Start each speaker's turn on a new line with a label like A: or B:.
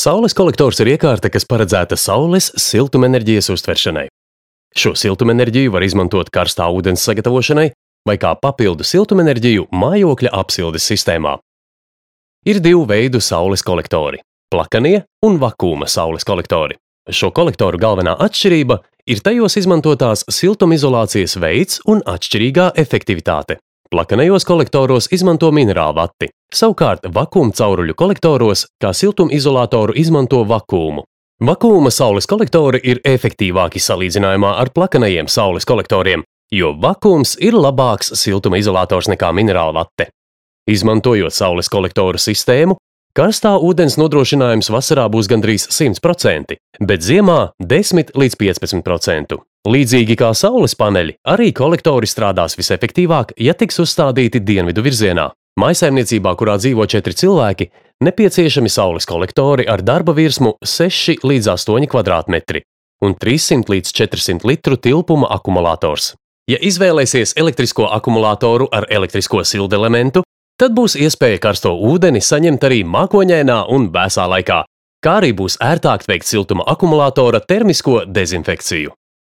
A: Saules kolektors ir iekārta, kas paredzēta saules siltumenerģijas uztveršanai. Šo siltumenerģiju var izmantot karstā ūdens sagatavošanai vai kā papildu siltumenerģiju mājokļa apsildes sistēmā. Ir divu veidu saules kolektori – plakanie un vakūma saules kolektori. Šo kolektoru galvenā atšķirība ir tajos izmantotās siltumizolācijas veids un atšķirīgā efektivitāte. Plakanajos kolektoros izmanto minerālu vati, savukārt vakūma cauruļu kolektoros kā siltumizolātoru izmanto vakūmu. Vakūma saules kolektori ir efektīvāki salīdzinājumā ar plakanajiem saules kolektoriem, jo vakūms ir labāks siltumizolātors nekā minerālu vate. Izmantojot saules kolektoru sistēmu, karstā ūdens nodrošinājums vasarā būs gandrīz 100%, bet ziemā 10 līdz 15%. Līdzīgi kā saules paneļi, arī kolektori strādās visefektīvāk, ja tiks uzstādīti dienvidu virzienā. Mājsaimniecībā, kurā dzīvo 4 cilvēki, nepieciešami saules kolektori ar darba virsmu 6 līdz 8 kvadrātmetri un 300 līdz 400 litru tilpuma akumulators. Ja izvēlēsies elektrisko akumulātoru ar elektrisko sildelementu, tad būs iespēja karsto ūdeni saņemt arī mākoņainā un vēsā laikā, kā arī būs ērtāk veikt siltuma akumulātora termisko dezinfekciju.